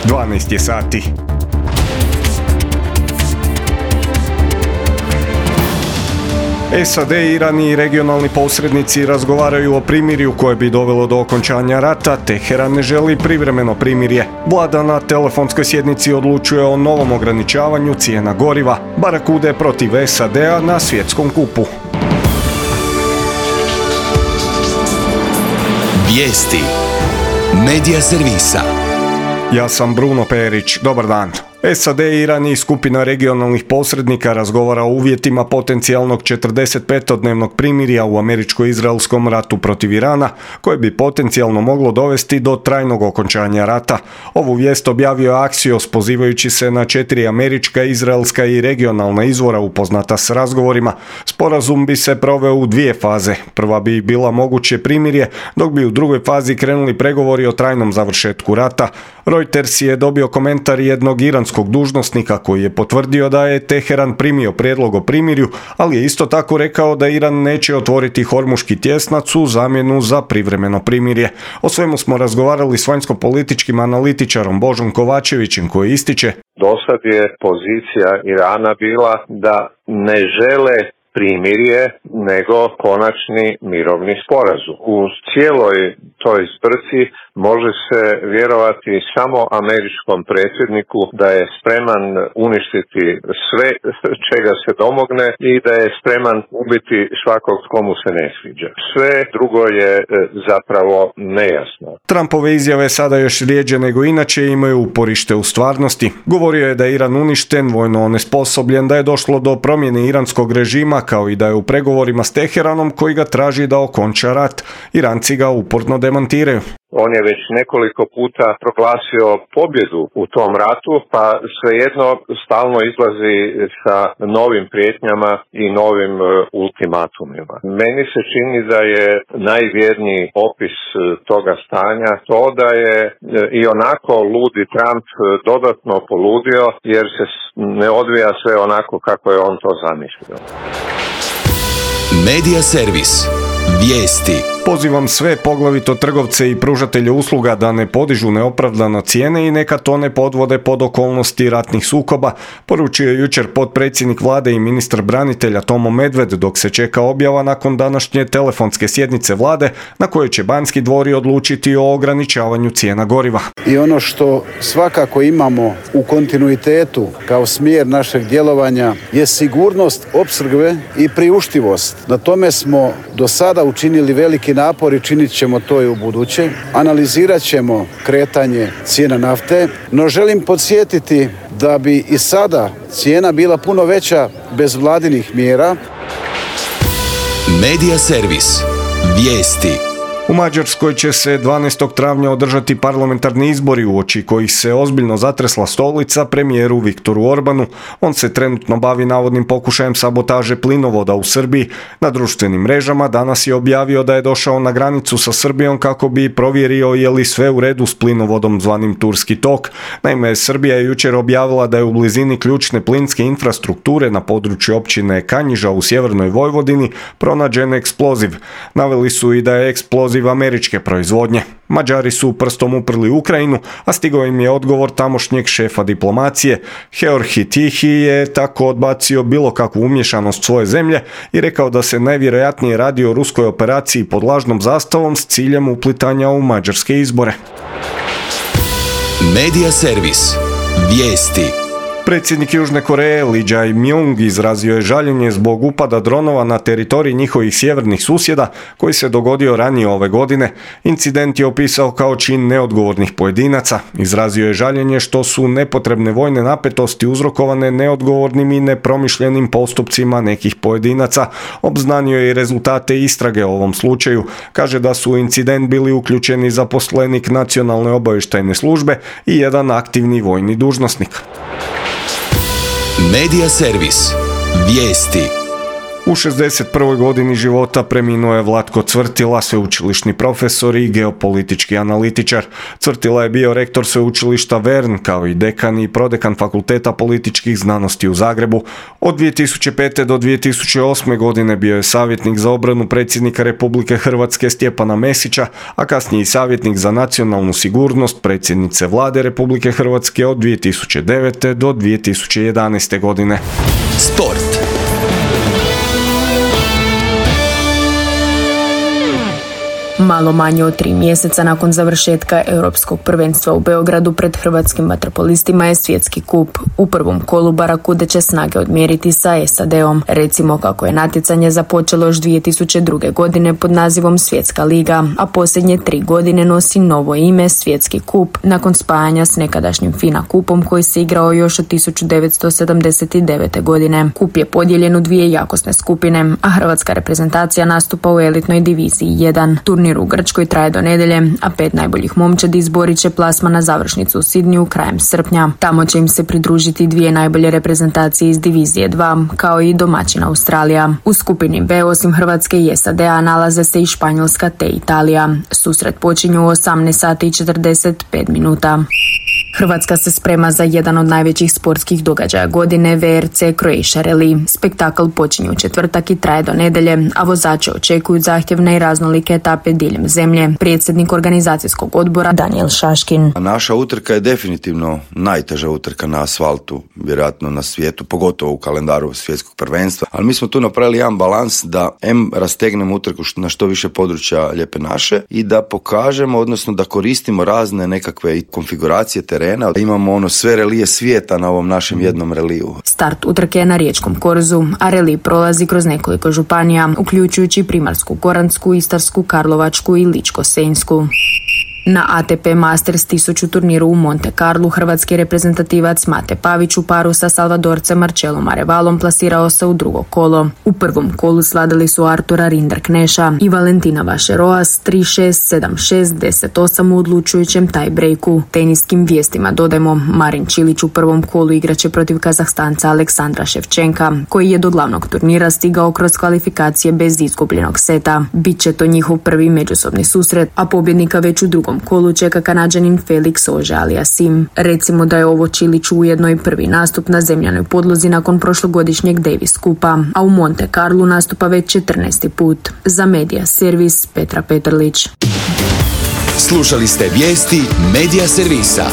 12 je sati. SAD, Iran i regionalni posrednici razgovaraju o primirju koje bi dovelo do okončanja rata. Teheran ne želi privremeno primirje. Vlada na telefonskoj sjednici odlučuje o novom ograničavanju cijena goriva. Barakude protiv SAD-a na svjetskom kupu. Vijesti Medija servisa. Ja sam Bruno Perić. Dobar dan. SAD, Iran i skupina regionalnih posrednika razgovara o uvjetima potencijalnog 45-dnevnog primirja u američko-izraelskom ratu protiv Irana, koje bi potencijalno moglo dovesti do trajnog okončanja rata. Ovu vijest objavio je Axios pozivajući se na 4 američka, izraelska i regionalna izvora upoznata s razgovorima. Sporazum bi se proveo u 2 faze. Prva bi bila moguće primirje, dok bi u drugoj fazi krenuli pregovori o trajnom završetku rata. Reuters je dobio komentar jednog iranskog dužnosnika koji je potvrdio da je Teheran primio prijedlog o primirju, ali je isto tako rekao da Iran neće otvoriti Hormuški tjesnac u zamjenu za privremeno primirje. O svemu smo razgovarali s vanjsko-političkim analitičarom Božom Kovačevićem koji ističe: Dosad je pozicija Irana bila da ne žele primirje, nego konačni mirovni sporazum. U cijeloj toj zbrci može se vjerovati samo američkom predsjedniku da je spreman uništiti sve čega se domogne i da je spreman ubiti svakog komu se ne sviđa. Sve drugo je zapravo nejasno. Trumpove izjave sada još rijeđe nego inače imaju uporište u stvarnosti. Govorio je da je Iran uništen, vojno onesposobljen, da je došlo do promjene iranskog režima, kao i da je u pregovorima s Teheranom koji ga traži da okonča rat. Iranci ga uporno demantiraju. On je već nekoliko puta proglasio pobjedu u tom ratu, pa svejedno stalno izlazi sa novim prijetnjama i novim ultimatumima. Meni se čini da je najvjerniji opis toga stanja to da je i onako ludi Trump dodatno poludio jer se ne odvija sve onako kako je on to zamislio. Medija servis. Vijesti. Pozivam sve, poglavito trgovce i pružatelje usluga, da ne podižu neopravdano cijene i neka to ne podvode pod okolnosti ratnih sukoba, poručio je jučer potpredsjednik vlade i ministar branitelja Tomo Medved dok se čeka objava nakon današnje telefonske sjednice vlade na kojoj će Banski dvori odlučiti o ograničavanju cijena goriva. I ono što svakako imamo u kontinuitetu kao smjer našeg djelovanja je sigurnost opskrbe i priuštivost. Na tome smo do sada učinili veliki napor i činit ćemo to i u buduće. Analizirat ćemo kretanje cijena nafte, no želim podsjetiti da bi i sada cijena bila puno veća bez vladinih mjera. Medija servis. Vijesti. U Mađarskoj će se 12. travnja održati parlamentarni izbori uoči kojih se ozbiljno zatresla stolica premijeru Viktoru Orbanu. On se trenutno bavi navodnim pokušajem sabotaže plinovoda u Srbiji. Na društvenim mrežama danas je objavio da je došao na granicu sa Srbijom kako bi provjerio je li sve u redu s plinovodom zvanim Turski tok. Naime, Srbija je jučer objavila da je u blizini ključne plinske infrastrukture na području općine Kanjiža u sjevernoj Vojvodini pronađen eksploziv. Naveli su i da je eksploziv američke proizvodnje. Mađari su prstom uprli Ukrajinu, a stigao im je odgovor tamošnjeg šefa diplomacije. Georgi Tihi je tako odbacio bilo kakvu umješanost svoje zemlje i rekao da se najvjerojatnije radi o ruskoj operaciji pod lažnom zastavom s ciljem uplitanja u mađarske izbore. Medija servis. Vijesti. Predsjednik Južne Koreje Lee Jae-myung izrazio je žaljenje zbog upada dronova na teritorij njihovih sjevernih susjeda koji se dogodio ranije ove godine. Incident je opisao kao čin neodgovornih pojedinaca. Izrazio je žaljenje što su nepotrebne vojne napetosti uzrokovane neodgovornim i nepromišljenim postupcima nekih pojedinaca. Obznanio je i rezultate istrage o ovom slučaju. Kaže da su u incident bili uključeni zaposlenik Nacionalne obavještajne službe i jedan aktivni vojni dužnosnik. Medija servis. Vijesti. U 61. godini života preminuo je Vlatko Cvrtila, sveučilišni profesor i geopolitički analitičar. Cvrtila je bio rektor sveučilišta Vern, kao i dekan i prodekan Fakulteta političkih znanosti u Zagrebu. Od 2005. do 2008. godine bio je savjetnik za obranu predsjednika Republike Hrvatske Stjepana Mesića, a kasnije i savjetnik za nacionalnu sigurnost predsjednice Vlade Republike Hrvatske od 2009. do 2011. godine. Sport. Malo manje od 3 mjeseca nakon završetka Europskog prvenstva u Beogradu pred hrvatskim vaterpolistima je svjetski kup. U prvom kolu Barakude će snage odmjeriti sa SAD-om. Recimo kako je natjecanje započelo još 2002. godine pod nazivom Svjetska liga, a posljednje 3 godine nosi novo ime Svjetski kup nakon spajanja s nekadašnjim FINA kupom koji se igrao još od 1979. godine. Kup je podijeljen u 2 jakosne skupine, a hrvatska reprezentacija nastupa u elitnoj diviziji 1. Turnir u Grčkoj traje do nedjelje, a 5 najboljih momčadi izborit će plasman na završnicu u Sidniju krajem srpnja. Tamo će im se pridružiti 2 najbolje reprezentacije iz divizije 2, kao i domaćina Australija. U skupini B osim Hrvatske i SAD-a nalaze se i Španjolska te Italija. Susret počinju u 18 sati i 45 minuta. Hrvatska se sprema za jedan od najvećih sportskih događaja godine, VRC Croatia Rally. Spektakl počinje u četvrtak i traje do nedjelje, a vozače očekuju zahtjevne i raznolike etape diljem zemlje. Predsjednik organizacijskog odbora Daniel Šaškin. Naša utrka je definitivno najteža utrka na asfaltu, vjerojatno na svijetu, pogotovo u kalendaru svjetskog prvenstva. Ali mi smo tu napravili jedan balans da rastegnemo utrku na što više područja Lijepe naše i da pokažemo, odnosno da koristimo razne nekakve konfiguracije terena. Imamo sve relije svijeta na ovom našem jednom reliju. Start utrke je na Riječkom korzu, a relij prolazi kroz nekoliko županija, uključujući Primorsku-goransku, Istarsku, Karlovačku i Ličko-senjsku. Na ATP Masters 1000 turniru u Monte Carlu hrvatski reprezentativac Mate Pavić u paru sa Salvadorcem Marcelom Arevalom plasirao se u drugo kolo. U prvom kolu svladali su Artura Rinderkneša i Valentina Vašeroas 3-6, 7-6, 10-8 u odlučujućem tie-breaku. Teniskim vijestima dodajmo, Marin Čilić u prvom kolu igraće protiv Kazahstanca Aleksandra Ševčenka, koji je do glavnog turnira stigao kroz kvalifikacije bez izgubljenog seta. Biće to njihov prvi međusobni susret, a pobjednika već u drugom kolu čeka Kanađanin Felix Auger-Aliassime. Recimo da je ovo Čiliću ujedno i prvi nastup na zemljanoj podlozi nakon prošlogodišnjeg Davis kupa, a u Monte Carlu nastupa već 14. put. Za Medija servis Petra Petrlić. Slušali ste vijesti Medija servisa.